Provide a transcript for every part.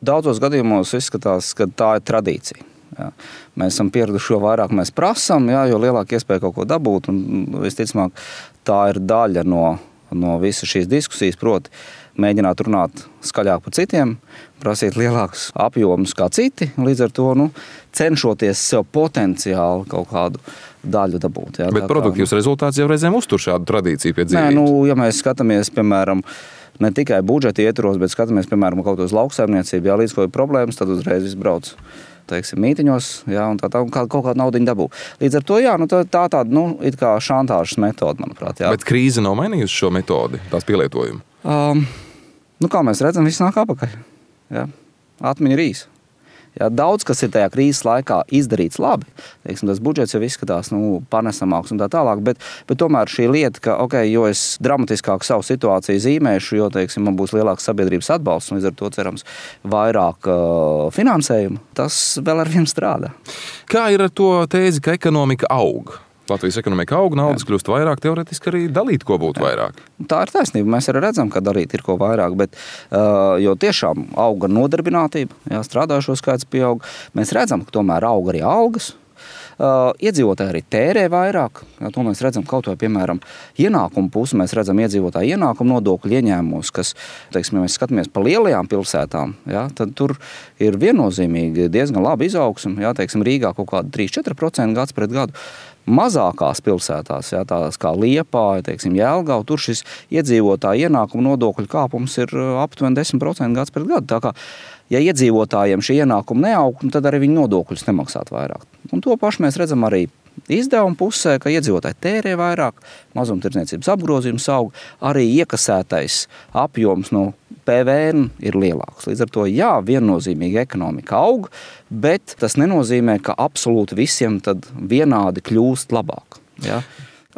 daudzos gadījumos izskatās, ka tā ir tradīcija. Jā. Mēs esam pieraduši, jo vairāk mēs prasam, jā, jo lielāka iespēja kaut ko dabūt. Un visticamāk, tā ir daļa no visas šīs diskusijas, proti mēģināt runāt skaļāk par citiem, prasīt lielākus apjomus kā citi, līdz ar to cenšoties sev potenciāli kaut kādu daļu dabūt. Jā. Bet produktīvs rezultāts jau reizēm uztur šādu tradīciju pie dzīvības. Nē, ja mēs skatāmies, piemēram, ne tikai budžeta ietvaros, bet skatāmies, piemēram, kaut uz lauksaimniecību, jā, līdz kaut ir problēmas, tad uzreiz izbrauc, teiksim, mītiņos, jā, un kaut kādu naudiņu dabū. Līdz ar to, jā, tā tāda, it kā šantāžas metode, manuprāt, jā. Bet krīze nav mainījusi šo metodi, tās pielietojumu? Kā mēs redzam, viss nāk apakaļ. Jā. Atmiņa ir īsa. Jā, daudz, kas ir tajā krīzes laikā izdarīts labi, teiksim, tas budžets jau izskatās panesamāks un tā tālāk, bet tomēr šī lieta, ka, jo es dramatiskāk savu situāciju zīmēšu, jo, teiksim, man būs lielāks sabiedrības atbalsts un līdz ar to cerams vairāk finansējumu, tas vēl ar vien strādā. Kā ir ar to tēzi, ka ekonomika aug? Latvijas ekonomika aug, naudas kļūst vairāk, teoretiski arī dalīt, ko būtu vairāk. Tā ir taisnība. Mēs arī redzam, ka dalīt ir ko vairāk, bet jo tiešām auga nodarbinātība, jā, strādājošo skaits pieaug. Mēs redzam, ka tomēr aug arī algas. Iedzīvotāji arī tērē vairāk. Jā, to mēs redzam kaut vai, piemēram, ienākumu pusi. Mēs redzam iedzīvotāju ienākumu nodokļu ieņēmumus, kas, teiksim, ja mēs skatāmies pa lielajām pilsētām, jā, tad tur ir viennozīmīgi diezgan labi izaugsme. Jā, teiksim, Rīgā kaut kāda 3-4% gads pret gadu. Mazākās pilsētās, jā, tās kā Liepāja, teiksim, Jelgava, tur šis iedzīvotāju ienākumu nodokļu kāpums ir aptuveni 10% gads pret gadu. Tā kā, ja iedzīvotājiem šī ienākuma neaug, tad arī viņi nodokļus nemaksāt vairāk. Un to pašu mēs redzam arī izdevuma pusē, ka iedzīvotāji tērē vairāk, mazumtirdzniecības apgrozījums aug, arī iekasētais apjoms no PVN ir lielāks. Līdz ar to, jā, viennozīmīgi ekonomika aug, bet tas nenozīmē, ka absolūti visiem tad vienādi kļūst labāk. Jā.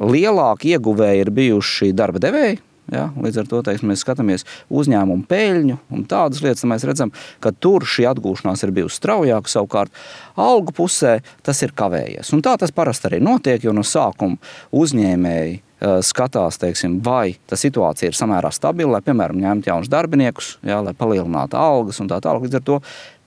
Lielāki ieguvēji ir bijuši darba devēji. Ja, līdz ar to, teiksim, mēs skatāmies uzņēmumu peļņu un tādas lietas, mēs redzam, ka tur šī atgūšanās ir bijusi straujāka, savukārt algu pusē tas ir kavējies. Un tā tas parasti arī notiek, jo no sākuma uzņēmēji skatās, teiksim, vai tā situācija ir samērā stabila, lai, piemēram, ņemtu jaunus darbiniekus, ja, lai palielinātu algas un tā tālāk. Līdz ar to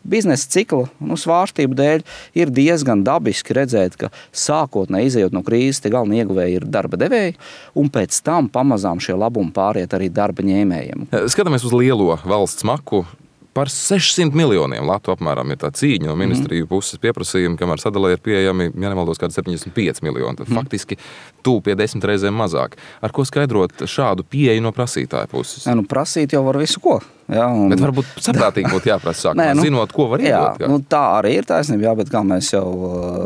biznesa cikla svārstību dēļ ir diezgan dabiski redzēt, ka sākotnēji izejot no krīzes, tie galvenie ieguvēji ir darba devēji, un pēc tam pamazām šie labumi pāriet arī darba ņēmējiem. Skatāmies uz lielo valsts maku. Par 600 miljoniem latu apmēram ir tā cīņa no ministriju puses pieprasījumi, kamēr sadalē ir pieejami, ja nemaldos, kādi 75 miljoni. Tad faktiski tuvu pie 10 reizēm mazāk. Ar ko skaidrot šādu pieeju no prasītāja puses? Prasīt jau var visu ko. Jā, bet varbūt saprātīgi būtu jāprasa sākumā, zinot, ko var iedot. Jā, tā arī ir taisnība, jā, bet kā mēs jau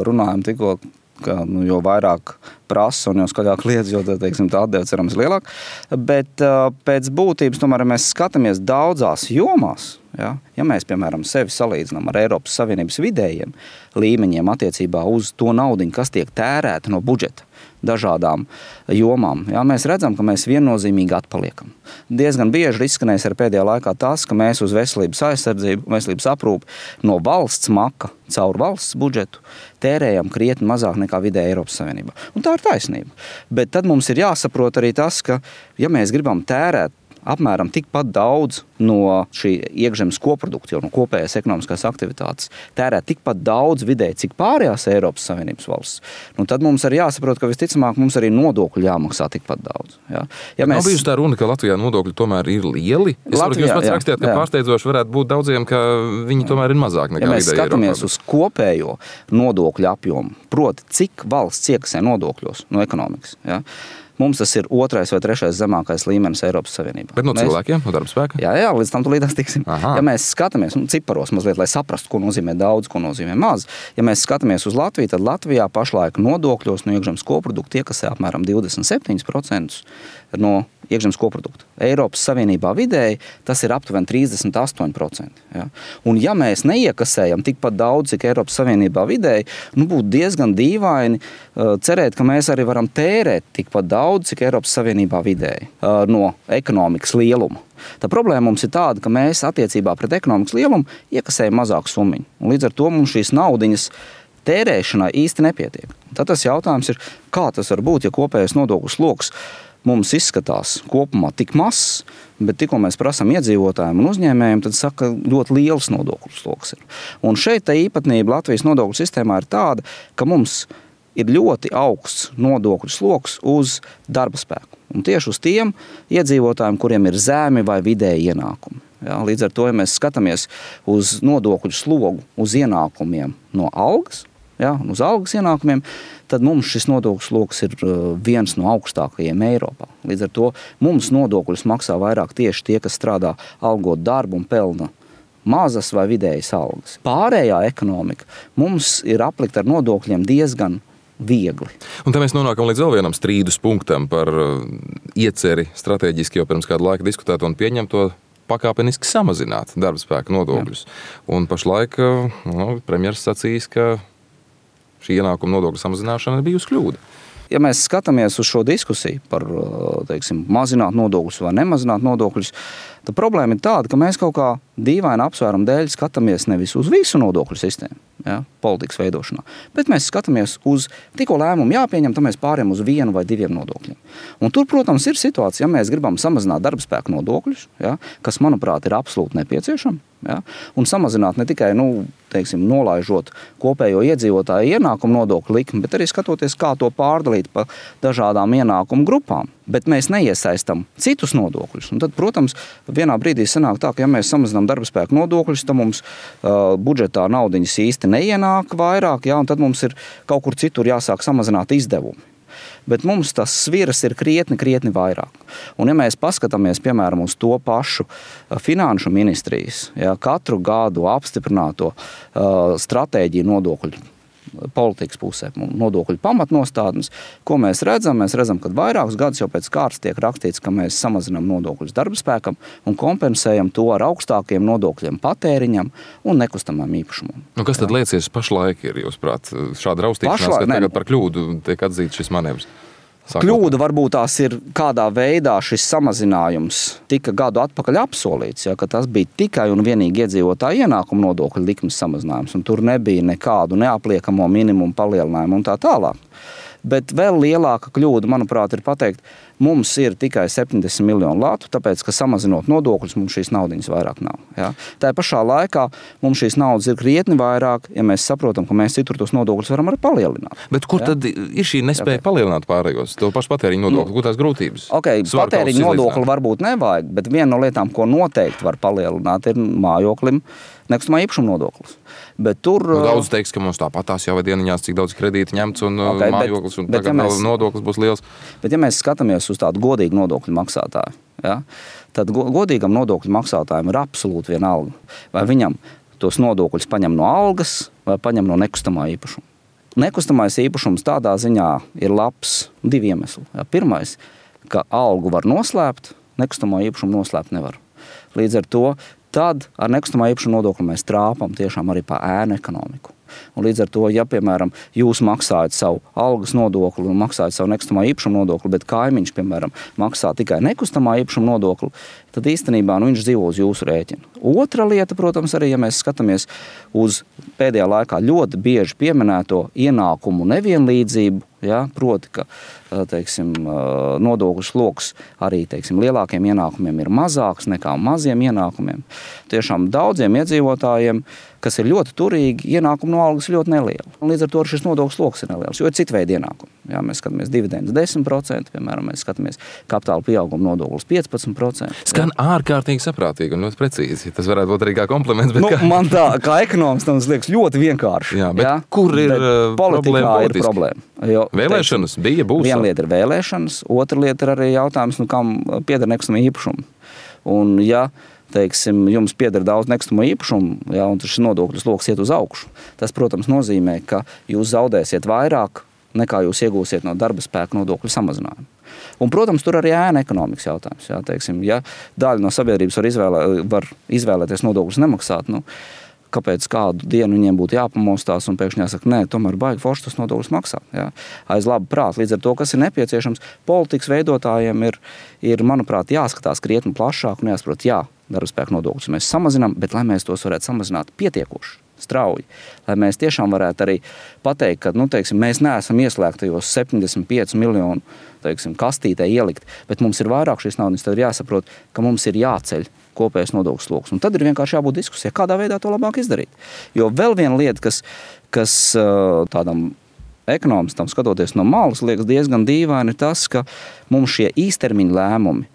runājam tikko, ka jo vairāk prasa un jo skaļāk liedz, jo teiksim, tā atdeve cerams lielāk. Bet pēc būtības tomēr mēs skatāmies daudzās jomās. Ja? Ja mēs, piemēram, sevi salīdzinām ar Eiropas Savienības vidējiem līmeņiem attiecībā uz to naudiņu, kas tiek tērēta no budžeta dažādām jomām, ja? Mēs redzam, ka mēs viennozīmīgi atpaliekam. Diezgan bieži izskanējis ar pēdējā laikā tas, ka mēs uz veselības aizsardzību, veselības aprūpi no valsts maka caur valsts budžetu tērējam krietni mazāk nekā vidēji Eiropas Savienībā. Un tā ir taisnība. Bet tad mums ir jāsaprot arī tas, ka, ja mēs gribam tērēt apmēram tikpat daudz no šī iekšzemes koprodukta, jau no kopējās ekonomiskās aktivitātes, tērēt tikpat daudz vidēji, cik pārējās Eiropas Savienības valsts, tad mums arī jāsaprot, ka visticamāk mums arī nodokļu jāmaksā tikpat daudz. Ja? Ja Nav bijusi tā runa, ka Latvijā nodokļi tomēr ir lieli? Es varu, ka jūs pats rakstījāt, ka pārsteidzoši varētu būt daudziem, ka viņi tomēr ir mazāk nekā vidēji Eiropā. Ja mēs skatāmies uz kopējo nodokļu apjomu, proti, cik valsts iekasē nodokļos no ekonomikas, ja? Mums tas ir 2. vai 3. zemākais līmenis Eiropas Savienībā. Bet no cilvēkiem, no darba spēka? Jā, līdz tam tulītās tiksim. Aha. Ja mēs skatāmies ciparos mazliet, lai saprastu, ko nozīmē daudz, ko nozīmē maz, ja mēs skatāmies uz Latviju, tad Latvijā pašlaik nodokļos no iekšzemes koprodukta iekasē apmēram 27% no iekšzemes koprodukta. Eiropas Savienībā vidēji tas ir aptuveni 38%. Ja? Un ja mēs neiekasējam tikpat daudz, cik Eiropas Savienībā vidēji, būtu diezgan dīvaini cerēt, ka mēs arī varam tērēt tikpat daudz, cik Eiropas Savienībā vidēji no ekonomikas lieluma. Tā problēma mums ir tāda, ka mēs attiecībā pret ekonomikas lielumu iekasējam mazāku summiņu. Un līdz ar to mums šīs naudiņas tērēšanai īsti nepietiek. Tad tas jautājums ir, kā tas var būt, ja kopējais nodokļu sloks mums izskatās kopumā tik mazs, bet tikko mēs prasām iedzīvotājiem un uzņēmējiem, tad saka, ļoti liels nodokļu sloks ir. Un šeit tā īpatnība Latvijas nodokļu sistēmā ir tāda, ka mums ir ļoti augsts nodokļu sloks uz darba spēku. Un tieši uz tiem iedzīvotājiem, kuriem ir zemi vai vidēji ienākumi. Ja, līdz ar to, ja mēs skatāmies uz nodokļu slogu, uz ienākumiem no algas, ja, uz algas ienākumiem, tad mums šis nodokļu sloks ir viens no augstākajiem Eiropā. Līdz ar to mums nodokļus maksā vairāk tieši tie, kas strādā algot darbu un pelna mazas vai vidējas algas. Pārējā ekonomika mums ir aplikta ar nodokļiem diezgan viegli. Un te mēs nonākam līdz vēl vienam strīdus punktam par ieceri strateģiski jau pirms kādu laiku diskutēt un pieņemt to pakāpeniski samazināt darba spēka nodokļus. Un pašlaik premjeras sacīs, ka šī ienākuma nodokļu samazināšana ir bijusi kļūda. Ja mēs skatāmies uz šo diskusiju par, mazināt nodokļus vai nemazināt nodokļus, tad problēma ir tāda, ka mēs kaut kā dīvaina apsvērumu dēļ skatāmies nevis uz visu nodokļu sistēmu, ja, politikas veidošanā, bet mēs skatāmies uz tikko lēmumu jāpieņem, tad mēs pārējām uz vienu vai diviem nodokļiem. Un tur, protams, ir situācija, ja mēs gribam samazināt darba spēku nodokļus, ja, kas, manuprāt, ir absolūti nepieciešami, ja, un samazināt ne tikai, nolaižot kopējo iedzīvotāju ienākumu nodokļu likmi, bet arī skatoties, kā to pārdalīt pa dažādām ienākumu grupām. Bet mēs neiesaistam citus nodokļus. Un tad, protams, vienā brīdī sanāk tā, ka ja mēs samazinām darba spēku nodokļus, tad mums budžetā naudiņas īsti neienāk vairāk, ja, un tad mums ir kaut kur citur jāsāk samazināt izdevumi. Bet mums tas sviras ir krietni vairāk. Un ja mēs paskatāmies, piemēram, uz to pašu finanšu ministrijas, ja, katru gadu apstiprināto stratēģiju nodokļu politikas pusē, nodokļu pamatnostādnes, ko mēs redzam? Mēs redzam, ka vairākus gadus jau pēc kārtas tiek rakstīts, ka mēs samazinām nodokļus darba spēkam un kompensējam to ar augstākiem nodokļiem patēriņam un nekustamām īpašumam. Kas tad liecies pašlaik ir, jūsuprāt, šāda raustīšanās, ka tagad par kļūdu tiek atzīts šis manevrs? Kļūda varbūt tās ir kādā veidā šis samazinājums tika gadu atpakaļ apsolīts, ja, ka tas bija tikai un vienīgi iedzīvotāju ienākumu nodokļu likmes samazinājums, un tur nebija nekādu neapliekamo minimumu palielinājumu un tā tālāk. Bet vēl lielāka kļūda, manuprāt, ir pateikt, mums ir tikai 70 miljonu latu, tāpēc, ka samazinot nodokļus, mums šīs naudiņas vairāk nav. Ja? Tā pašā laikā mums šīs naudas ir krietni vairāk, ja mēs saprotam, ka mēs citur tos nodokļus varam arī palielināt. Bet kur tad ir šī nespēja palielināt pārējos? To pašu patēriņu nodokli, kur tās grūtības? Patēriņu nodokli varbūt nevajag, bet viena no lietām, ko noteikti var palielināt, ir mājoklim nekustamā īpašuma nodoklis. Bet tur daudz teiks, ka mums tāpatās jau dieniņās, cik daudz kredīti ņemts un mājoklis, un tagad nodoklis būs liels. Bet ja mēs skatāmies uz tādu godīgu nodokļu maksātāju, ja, tad godīgam nodokļu maksātājiem ir absolūti vienalga, vai viņam tos nodokļus paņem no algas vai paņem no nekustamā īpašuma. Nekustamais īpašums tādā ziņā ir labs divi iemesli. Ja, pirmais, ka algu var noslēpt, nekustamo īpašumu noslēpt nevar. Līdz ar to tad ar nekustamā īpašuma nodokli mēs trāpam tiešām arī pa ēnu ekonomiku. Un līdz ar to, ja, piemēram, jūs maksājat savu algas nodokli un maksājat savu nekustamā īpašuma nodokli, bet kaimiņš, piemēram, maksā tikai nekustamā īpašuma nodokli, tad īstenībā viņš dzīvo uz jūsu rēķina. Otra lieta, protams, arī, ja mēs skatāmies uz pēdējā laikā ļoti bieži pieminēto ienākumu nevienlīdzību, ja, proti, ka nodokļu sloks arī lielākiem ienākumiem ir mazāks nekā maziem ienākumiem. Tiešām daudziem iedzīvotājiem, kas ir ļoti turīgi, ienākumu no algas ļoti neliela. Un līdz ar to šis nodokļu sloks ir neliels, jo ir cita veida ienākumi. Ja, mēs skatāmies dividendes 10%, piemēram, mēs skatāmies kapitāla pieauguma nodoklis 15%. Skan ārkārtīgi saprātīgi un ļoti precīzi. Tas varētu būt arī kā kompliments. Bet man tā, kā ekonomistam, tas liekas ļoti vienkārši. Jā, bet kur ir politikā ir problēma? Jo, vēlēšanas bija, būs. Viena lieta ir vēlēšanas, otra lieta ir arī jautājums, kam pieder nekustamā īpašuma. Un ja jums pieder daudz nekustamo īpašumu, ja, un šis nodokļu sloks iet uz augšu, tas, protams, nozīmē, ka jūs zaudēsiet vairāk, nekā jūs iegūsiet no darba spēka nodokļu samazinājumu. Un, protams, tur arī ēna ekonomikas jautājums. Ja, ja daļa no sabiedrības var izvēlēties nodokļus nemaksāt, kāpēc kādu dienu viņiem būtu jāpamostās un pēkšņi jāsaka, nē, tomēr baigi forši tas nodokļus maksāt. Ja? Aiz labu prātu. Līdz ar to, kas ir nepieciešams, politikas veidotājiem ir, manuprāt, jāskatās krietni plašāk un jāsaprot, darba spēka nodokļus mēs samazinām, bet lai mēs tos varētu samazināt pietiekoši. strauji, lai mēs tiešām varētu arī pateikt, ka, mēs neesam ieslēgtajos 75 miljonu, kastītē ielikt, bet mums ir vairāk šīs naudas, tad ir jāsaprot, ka mums ir jāceļ kopējais nodokļu sloks. Un tad ir vienkārši jābūt diskusijai, kādā veidā to labāk izdarīt. Jo vēl viena lieta, kas tādam ekonomistam skatoties no malas, liekas diezgan dīvaini, ir tas, ka mums šie īstermiņa lēmumi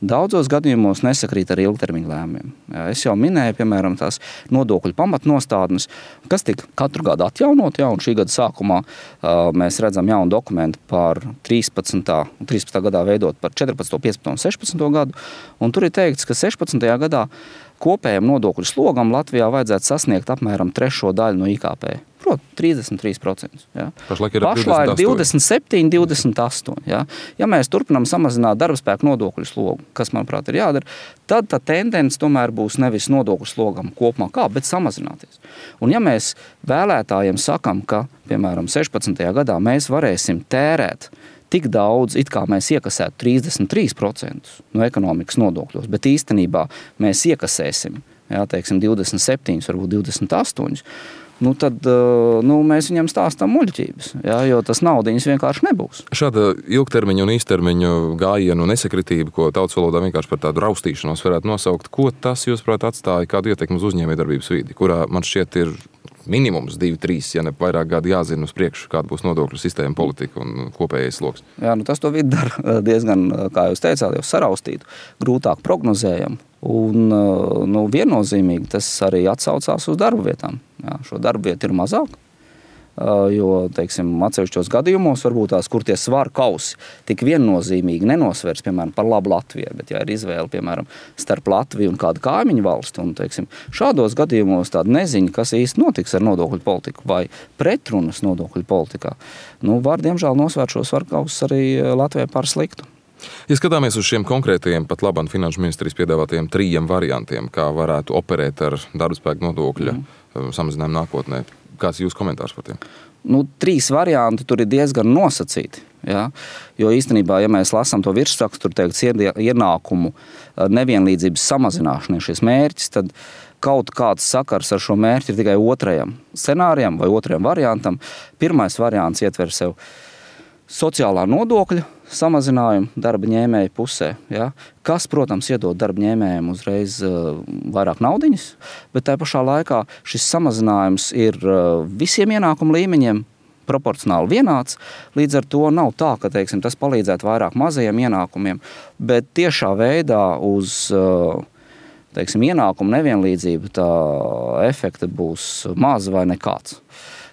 daudzos gadījumos nesakrīt ar ilgtermiņa lēmumiem. Es jau minēju, piemēram, tās nodokļu pamatnostādnes, kas tika katru gadu atjaunot, un šī gada sākumā mēs redzam jaunu dokumentu par 13. gadā veidot par 14., 15. un 16. gadu, un tur ir teikts, ka 16. gadā kopējam nodokļu slogam Latvijā vajadzētu sasniegt apmēram 3. daļu no IKP. Proti, 33%. Ja. Pašlaik ir 27, 28. Ja. Ja mēs turpinām samazināt darbspēku nodokļu slogu, kas, manuprāt, ir jādara, tad tā tendence tomēr būs nevis nodokļu slogam kopumā bet samazināties. Un ja mēs vēlētājiem sakam, ka, piemēram, 16. gadā mēs varēsim tērēt tik daudz, it kā mēs iekasētu 33% no ekonomikas nodokļos, bet īstenībā mēs iekasēsim, 27, varbūt 28%, tad mēs viņam stāstam muļķības, jo tas naudiņas vienkārši nebūs. Šāda ilgtermiņa un īstermiņa gājienu nesakritība, ko tautas valodā vienkārši par tādu raustīšanos varētu nosaukt, ko tas, jūsuprāt, atstāja kādu ietekmi uz uzņēmējdarbības vidi, kurā man šķiet ir minimums 2-3, ja ne vairāk gadi jāzina uz priekšu, kāda būs nodokļu sistēma, politika un kopējais sloks. Jā, tas to vidi dara diezgan, kā jūs teicāt, jau saraustītu, grūtāk prognozējam. Un viennozīmīgi tas arī atsaucās uz darba vietām. Jā, šo darba vietu ir mazāk, jo, atsevišķos gadījumos varbūt tās, kur tie svaru kausi tik viennozīmīgi nenosvers, piemēram, par labu Latvijai, bet ja ir izvēle, piemēram, starp Latviju un kādu kaimiņu valsti, un, šādos gadījumos tāda neziņa, kas īsti notiks ar nodokļu politiku vai pretrunas nodokļu politikā, var, diemžēl, nosvērt šo svaru kausus arī Latvijai par sliktu. Ja skatāmies uz šiem konkrētajiem pat labam finanšu ministrijas piedāvātajiem 3 variantiem, kā varētu operēt ar darbspēku nodokļa samazinājumu nākotnē, kāds ir jūsu komentārs par tiem? 3 varianti tur ir diezgan nosacīti. Ja? Jo īstenībā, ja mēs lasām to virsrakstu, tur teikts ienākumu nevienlīdzības samazināšanai šis mērķis, tad kaut kāds sakars ar šo mērķi ir tikai otrajam scenārijam vai otrajam variantam. Pirmais variants ietver sev sociālā nodokļa samazinājumu darba ņēmēju pusē, ja? Kas, protams, iedod darba ņēmējiem uzreiz vairāk naudiņas, bet tā pašā laikā šis samazinājums ir visiem ienākumu līmeņiem proporcionāli vienāds, līdz ar to nav tā, ka, tas palīdzētu vairāk mazajiem ienākumiem, bet tiešā veidā uz ienākumu nevienlīdzību tā efekta būs maz vai nekāds.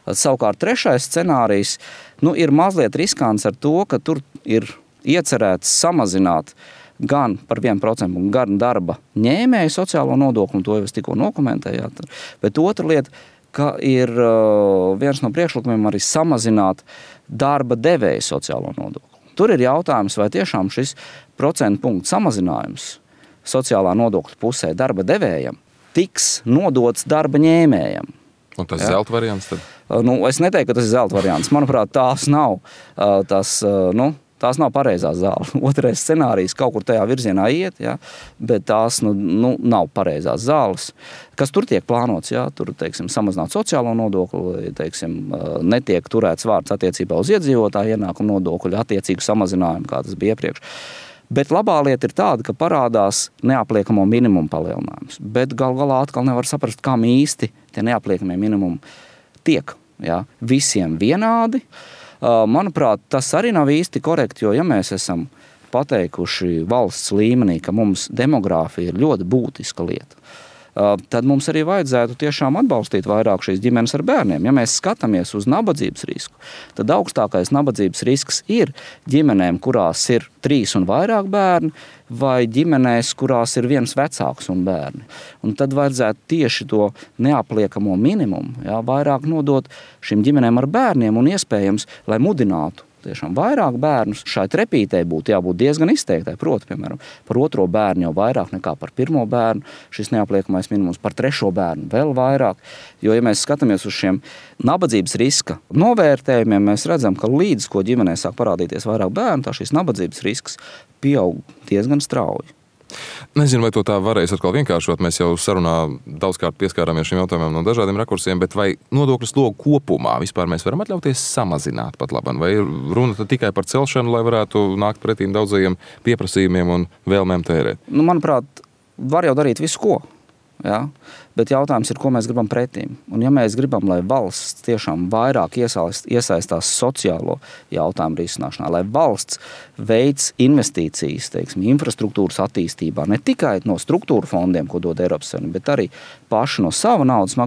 Savukārt trešais scenārijs ir mazliet riskants ar to, ka tur ir iecerēts samazināt gan par 1%, gan darba ņēmēju sociālo nodokli, un to jau es tikko nokomentējāt. Bet otra lieta, ka ir viens no priekšlikumiem arī samazināt darba devēju sociālo nodokli. Tur ir jautājums, vai tiešām šis procentu punktu samazinājums sociālā nodokļa pusē darba devējam tiks nodots darba ņēmējam. Un tas ir zelta variants tad? Es neteiktu, ka tas ir zelta variants. Manuprāt, tās nav pareizās zāles. Otrais scenārijs kaut kur tajā virzienā iet, ja, bet tās nav pareizās zāles. Kas tur tiek plānots? Ja, tur, samazināt sociālo nodokli, netiek turēts vārds attiecībā uz iedzīvotāju ienākumu nodokļu, attiecīgu samazinājumu, kā tas bija iepriekš. Bet labā lieta ir tāda, ka parādās neapliekamo minimumu palielinājums. Bet gal galā atkal nevar saprast, kam īsti tie neapliekamie minimumi tiek. Ja? Visiem vienādi. Manuprāt, tas arī nav īsti korekti, jo ja mēs esam pateikuši valsts līmenī, ka mums demogrāfija ir ļoti būtiska lieta, tad mums arī vajadzētu tiešām atbalstīt vairāk šīs ģimenes ar bērniem. Ja mēs skatāmies uz nabadzības risku, tad augstākais nabadzības risks ir ģimenēm, kurās ir 3 un vairāk bērni, vai ģimenēs, kurās ir viens vecāks un bērni. Un tad vajadzētu tieši to neapliekamo minimumu, vairāk nodot šīm ģimenēm ar bērniem un iespējams, lai mudinātu tiešām vairāk bērnus. Šai trepītei būtu jābūt diezgan izteiktai. Proti, piemēram, par 2. bērnu jau vairāk nekā par 1. bērnu. Šis neapliekamais minimums par 3. bērnu vēl vairāk. Jo, ja mēs skatāmies uz šiem nabadzības riska novērtējumiem, mēs redzam, ka līdz ko ģimenē sāk parādīties vairāk bērnu, tā šis nabadzības risks pieaug diezgan strauji. Nezinu, vai to tā varēs atkal vienkāršot. Mēs jau sarunā daudzkārt pieskārāmies šiem jautājumiem no dažādiem rakursiem, bet vai nodokļu slogu kopumā vispār mēs varam atļauties samazināt pat labam? Vai runa tikai par celšanu, lai varētu nākt pretīm daudzajiem pieprasījumiem un vēlmēm tērēt? Manuprāt, var jau darīt visu ko. Ja? Bet jautājums ir, ko mēs gribam pretīm. Un ja mēs gribam, lai valsts tiešām vairāk iesaistās sociālo jautājumu risināšanā, lai valsts veids investīcijas, teiksim, infrastruktūras attīstībā, ne tikai no struktūra fondiem, ko dod Eiropas Savienība, bet arī paši no sava naudas,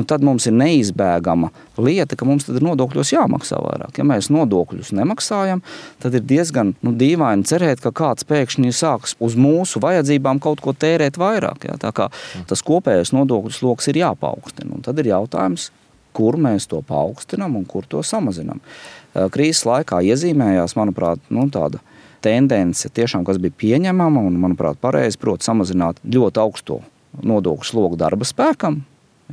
tad mums ir neizbēgama lieta, ka mums tad ir nodokļos jāmaksā vairāk. Ja mēs nodokļus nemaksājam, tad ir diezgan dīvaini cerēt, ka kāds pēkšņi sāks uz mūsu vajadzībām kaut ko tērēt vairāk. Ja? Tā kā tas kopējais nodokļu sloks ir jāpaukstina. Un tad ir jautājums, kur mēs to paaugstinām un kur to samazinām. Krīzes laikā iezīmējās, manuprāt, tāda tendence tiešām, kas bija pieņemama un, manuprāt, pareizi, proti samazināt ļoti augsto nodokļu slogu darba spēkam,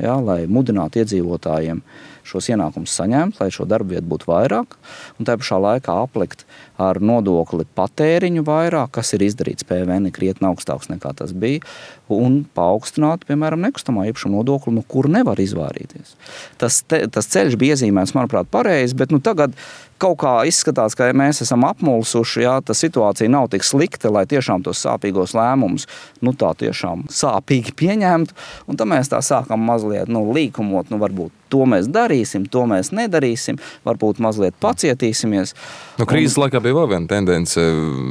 ja, lai mudinātu iedzīvotājiem šos ienākumus saņemt, lai šo darba vietu būtu vairāk, un tā pašā laikā aplikt ar nodokli patēriņu vairāk, kas ir izdarīts PVN krietni augstāks nekā tas bija, un paaugstināt, piemēram, nekustamā īpašuma nodokli, no kur nevar izvairīties. Tas ceļš bija iezīmēts, manuprāt, pareizi, bet tagad kaut kā izskatās, ka mēs esam apmulsuši, ja tā situācija nav tik slikta, lai tiešām tos sāpīgos lēmumus tā tiešām sāpīgi pieņemtu, un tad mēs tā sākam mazliet līkumot, varbūt to mēs darīsim, to mēs nedarīsim, varbūt mazliet pacietīsimies. Krīzes laikā bija vēl viena tendence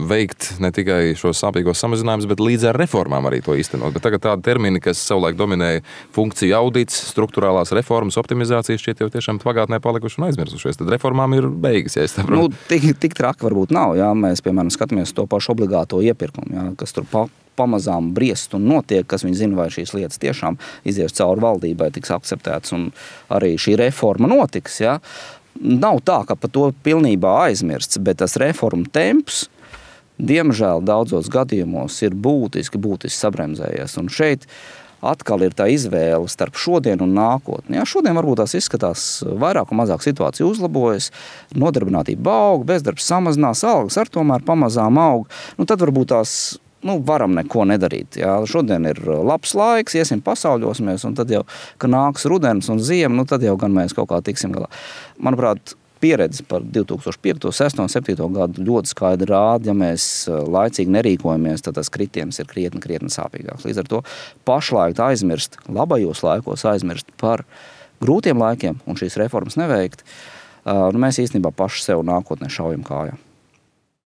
veikt ne tikai šos sāpīgos samazinājumus, bet līdz ar reformām arī to īstenot. Bet tagad tādi termini, kas savulaik dominēja funkciju audits, struktūrālās reformas, optimizācijas, šķiet jau tiešām pagātnē palikuši un aizmirsušies. Tad reformām ir beigas, ja es saprotu. Tik traki varbūt nav, ja mēs, piemēram, skatāmies to pašu obligāto iepirkumu, ja, kas tur pamazām briest un notiek, kas viņi zina, vai šīs lietas tiešām izies cauri valdībai, tiks akceptēts un arī šī reforma notiks. Ja. Nav tā, ka par to pilnībā aizmirsts, bet tas reformu temps, diemžēl daudzos gadījumos ir būtiski sabremzējies. Un šeit atkal ir tā izvēle starp šodien un nākotni. Ja, šodien varbūt tās izskatās vairāk un mazāk situācija uzlabojas, nodarbinātība aug, bezdarbs samazinās, algas ar tomēr pamazām aug. Tad varbūt tās varam neko nedarīt. Jā. Šodien ir labs laiks, iesim pasauļosimies, un tad jau, kad nāks rudens un ziema, tad jau gan mēs kaut kā tiksim galā. Manuprāt, pieredze par 2005, 2006 un 2007 gadu ļoti skaidri rāda, ja mēs laicīgi nerīkojamies, tad tas kritiens ir krietni sāpīgāks. Līdz ar to pašlaik aizmirst, labajos laikos aizmirst par grūtiem laikiem un šīs reformas neveikt, mēs īstenībā paši sev nākotnē šaujam kājā.